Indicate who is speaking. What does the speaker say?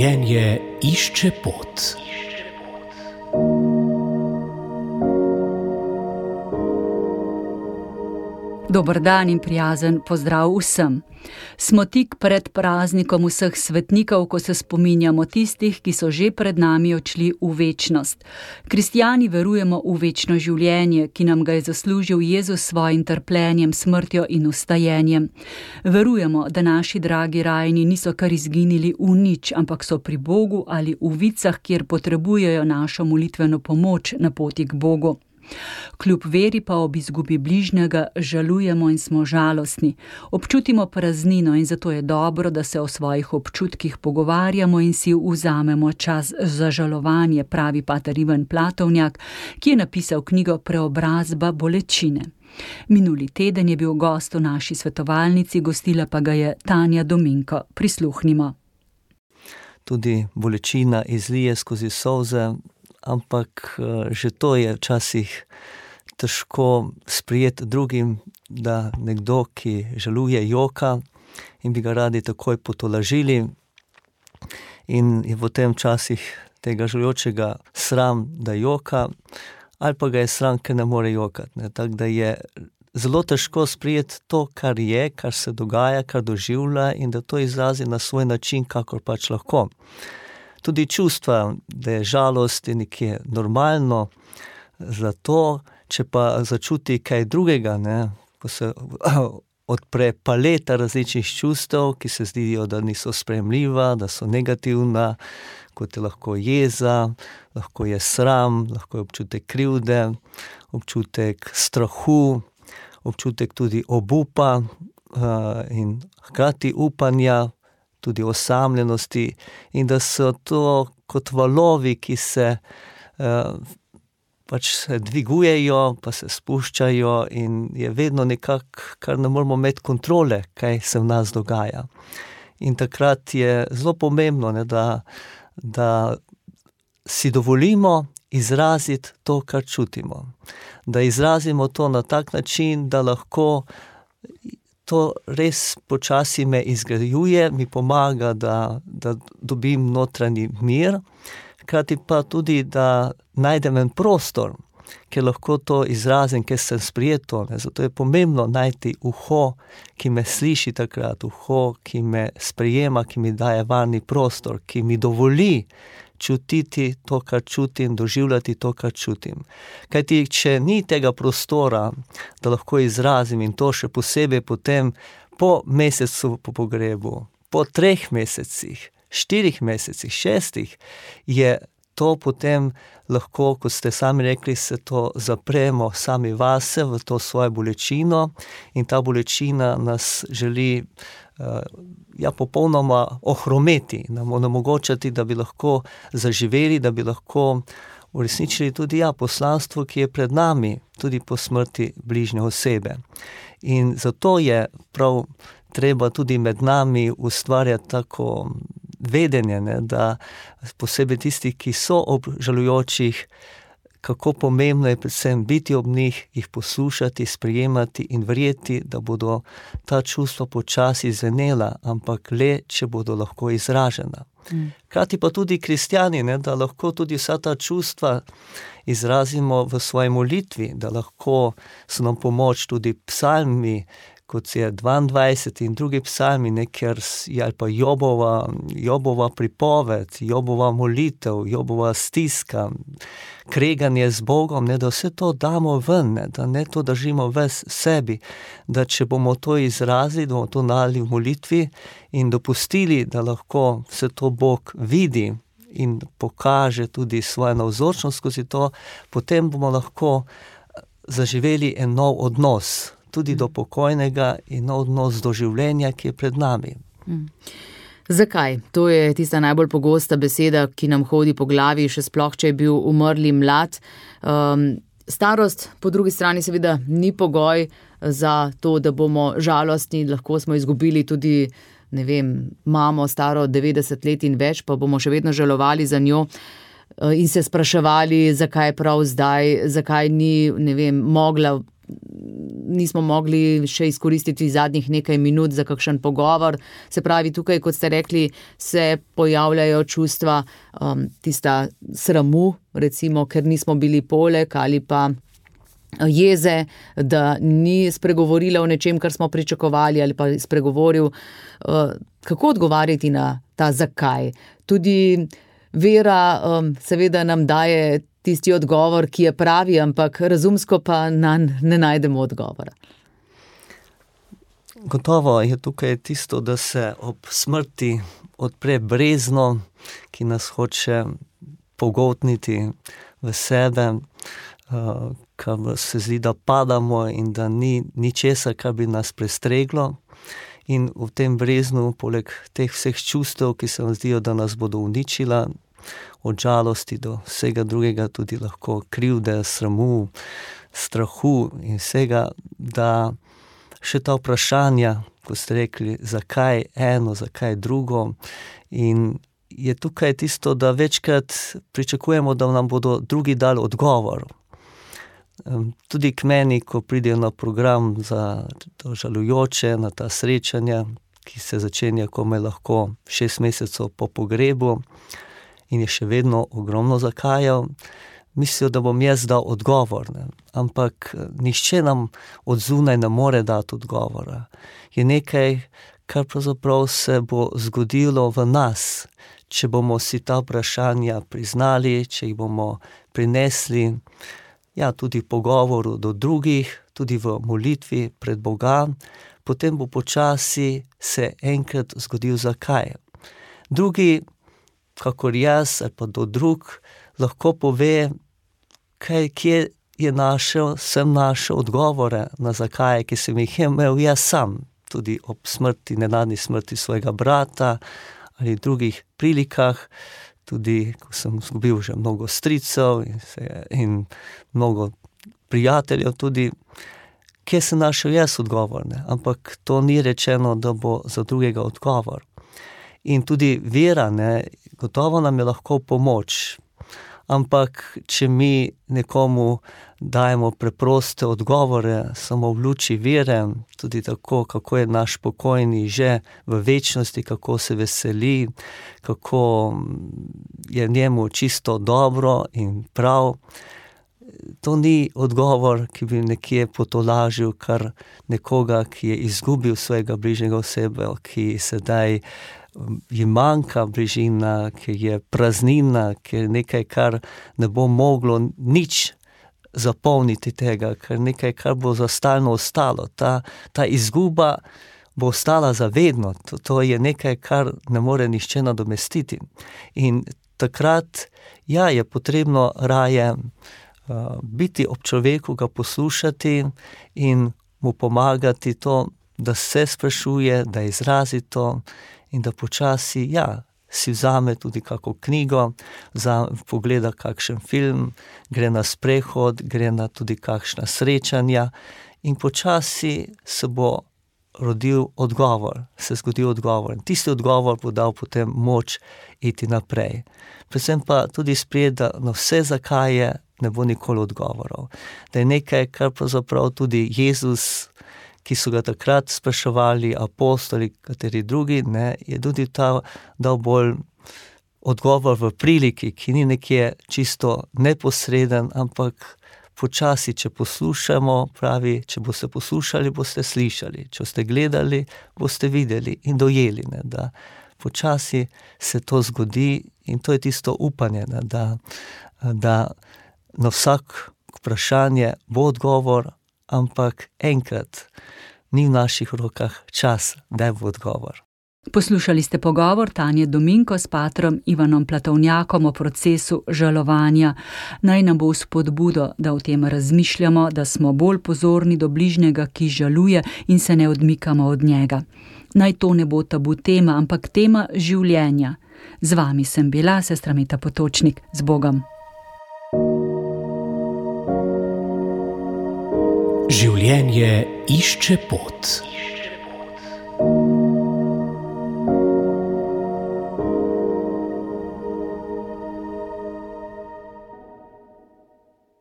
Speaker 1: Življenje išče pot.
Speaker 2: Dober dan in prijazen pozdrav vsem. Smo tik pred praznikom vseh svetnikov, ko se spominjamo tistih, ki so že pred nami odšli v večnost. Kristjani verujemo v večno življenje, ki nam ga je zaslužil Jezus s svojim trpljenjem, smrtjo in vstajenjem. Verujemo, da naši dragi rajni niso kar izginili v nič, ampak so pri Bogu ali v vicah, kjer potrebujejo našo molitveno pomoč na poti k Bogu. Kljub veri pa ob izgubi bližnjega žalujemo in smo žalostni. Občutimo praznino in zato je dobro, da se o svojih občutkih pogovarjamo in si vzamemo čas za žalovanje, pravi pater Ivan Platovnjak, ki je napisal knjigo Preobrazba bolečine. Minuli teden je bil gost v naši svetovalnici, gostila pa ga je Tanja Dominko. Prisluhnimo.
Speaker 3: Tudi bolečina izlije skozi solze, ampak že to je včasih težko sprijeti drugim, da nekdo, ki žaluje, joka in bi ga radi takoj potolažili. In je potem včasih tega žalujočega sram, da joka, ali pa ga je sram, ker ne more jokati. Tako da je zelo težko sprijeti to, kar je, kar se dogaja, kar doživlja in da to izrazi na svoj način, kakor pač lahko. Tudi čustva, da je žalost je nekje normalno, zato, če pa začuti kaj drugega, ko se odpre paleta različnih čustev, ki se zdijo, da niso sprejemljiva, da so negativna, kot je lahko jeza, lahko je sram, lahko je občutek krivde, občutek strahu, občutek tudi obupa in hkrati upanja, tudi osamljenosti in da so to kot valovi, ki se pač se dvigujejo, pa se spuščajo in je vedno nekako, kar ne moramo imeti kontrole, kaj se v nas dogaja. In takrat je zelo pomembno, da si dovolimo izraziti to, kar čutimo. Da izrazimo to na tak način, da lahko to res počasi me izgrajuje, mi pomaga, da dobim notranji mir, hkrati pa tudi, da najdem en prostor, kjer lahko to izrazim, kjer sem sprijeto. Zato je pomembno najti uho, ki me sliši takrat, uho, ki me sprijema, ki mi daje varni prostor, ki mi dovoli čutiti to, kar čutim, doživljati to, kar čutim. Kajti, če ni tega prostora, da lahko izrazim in to še posebej potem po mesecu po pogrebu, po 3 mesecih, 4 mesecih, 6, je to potem lahko, kot ste sami rekli, se to zapremo sami vase v to svojo bolečino in ta bolečina nas želi popolnoma ohrometi, nam onemogočati, da bi lahko zaživeli, da bi lahko uresničili tudi poslanstvo, ki je pred nami, tudi po smrti bližnje osebe. In zato je prav treba tudi med nami ustvarjati tako vedenje, da posebej tisti, ki so ob žalujočih, kako pomembno je predvsem biti ob njih, jih poslušati, sprejemati in verjeti, da bodo ta čustva počasi zvenela, ampak le, če bodo lahko izražena. Hkrati pa tudi kristjani, da lahko tudi vsa ta čustva izrazimo v svoji molitvi, da lahko so nam pomoč tudi psalmi, kot je 22 in drugi psalmi, ker je ali pa Jobova pripoved, Jobova molitev, Jobova stiska, kreganje z Bogom, da vse to damo ven, da ne to držimo v sebi, da če bomo to izrazili, da bomo to nali v molitvi in dopustili, da lahko vse to Bog vidi in pokaže tudi svojo navzočnost skozi to, potem bomo lahko zaživeli en nov odnos, tudi do pokojnega in nov odnos do življenja, ki je pred nami.
Speaker 4: Zakaj? To je tista najbolj pogosta beseda, ki nam hodi po glavi, še sploh, če je bil umrli mlad. Starost po drugi strani seveda ni pogoj za to, da bomo žalostni, lahko smo izgubili tudi, mamo staro 90 let in več, pa bomo še vedno žalovali za njo in se spraševali, zakaj prav zdaj, zakaj ni, mogla nismo mogli še izkoristiti zadnjih nekaj minut za kakšen pogovor. Se pravi, tukaj, kot ste rekli, se pojavljajo čustva tista sramu, recimo, ker nismo bili poleg, ali pa jeze, da ni spregovorila o nečem, kar smo pričakovali, ali pa spregovoril. Kako odgovarjati na ta zakaj? Tudi vera seveda nam daje tisti odgovor, ki je pravi, ampak razumsko pa ne najdemo odgovora.
Speaker 3: Gotovo je tukaj tisto, da se ob smrti odpre brezno, ki nas hoče pogoltniti v sebe, kar se zdi, da padamo in da ni ničesar, kar bi nas prestreglo. In v tem breznu, poleg teh vseh čustev, ki se vam zdijo, da nas bodo uničila, od žalosti do vsega drugega, tudi lahko krivde, sramu, strahu in vsega, da še ta vprašanja, ko ste rekli, zakaj eno, zakaj drugo. In je tukaj tisto, da večkrat pričakujemo, da nam bodo drugi dali odgovor. Tudi k meni, ko pridejo na program za žalujoče, na ta srečanja, ki se začenja komaj lahko 6 mesecev po pogrebu in je še vedno ogromno zakajev, mislijo, da bom jaz dal odgovor. Ne? Ampak nihče nam od zunaj ne more dati odgovora. Je nekaj, kar pravzaprav se bo zgodilo v nas, če bomo si ta vprašanja priznali, če jih bomo prinesli, tudi v pogovoru do drugih, tudi v molitvi pred Boga, potem bo počasi se enkrat zgodil zakaj. Drugi, kakor jaz ali pa do drug, lahko pove, kje sem našel odgovore na zakaj, ki sem jih imel jaz sam, tudi ob smrti, nenadni smrti svojega brata ali drugih prilikah, tudi ko sem izgubil že mnogo stricev in mnogo prijateljev tudi, kje sem našel jaz odgovor, ne? Ampak to ni rečeno, da bo za drugega odgovor. In tudi vera, ne, gotovo nam je lahko pomoč, ampak če mi nekomu dajemo preproste odgovore, samo v luči vere, tudi tako, kako je naš pokojni že v večnosti, kako se veseli, kako je njemu čisto dobro in prav, to ni odgovor, ki bi nekje potolažil kar nekoga, ki je izgubil svojega bližnjega osebe, ki sedaj ji manjka bližina, ki je praznina, ki je nekaj, kar ne bo moglo nič zapolniti tega, ker nekaj, kar bo za stalno ostalo. Ta izguba bo ostala za vedno. To je nekaj, kar ne more nihče nadomestiti. In takrat, je potrebno raje biti ob človeku, ga poslušati in mu pomagati to, da se sprašuje, da izrazi to in da počasi, si vzame tudi kako knjigo, pogleda kakšen film, gre na sprehod, gre na tudi kakšna srečanja in počasi se bo rodil odgovor, se zgodil odgovor. In tisti odgovor bo dal potem moč iti naprej. Predvsem pa tudi sprejeti, da na vse zakaje ne bo nikoli odgovorov. Da je nekaj, kar pravzaprav tudi Jezus, ki so ga takrat spraševali apostoli, kateri drugi, ne, je tudi dal bolj odgovor v priliki, ki ni nekje čisto neposreden, ampak počasi, če poslušamo, pravi, če boste poslušali, boste slišali, če boste gledali, boste videli in dojeli, ne, da počasi se to zgodi in to je tisto upanje, ne, da na vsak vprašanje bo odgovor, ampak enkrat ni v naših rokah čas, da bo odgovor.
Speaker 2: Poslušali ste pogovor Tanje Dominko s patrom Ivanom Platovnjakom o procesu žalovanja. Naj nam bo spodbudo, da o tem razmišljamo, da smo bolj pozorni do bližnjega, ki žaluje in se ne odmikamo od njega. Naj to ne bo tabu tema, ampak tema življenja. Z vami sem bila sestra Meta Potočnik. Z Bogom.
Speaker 1: Življenje išče pot.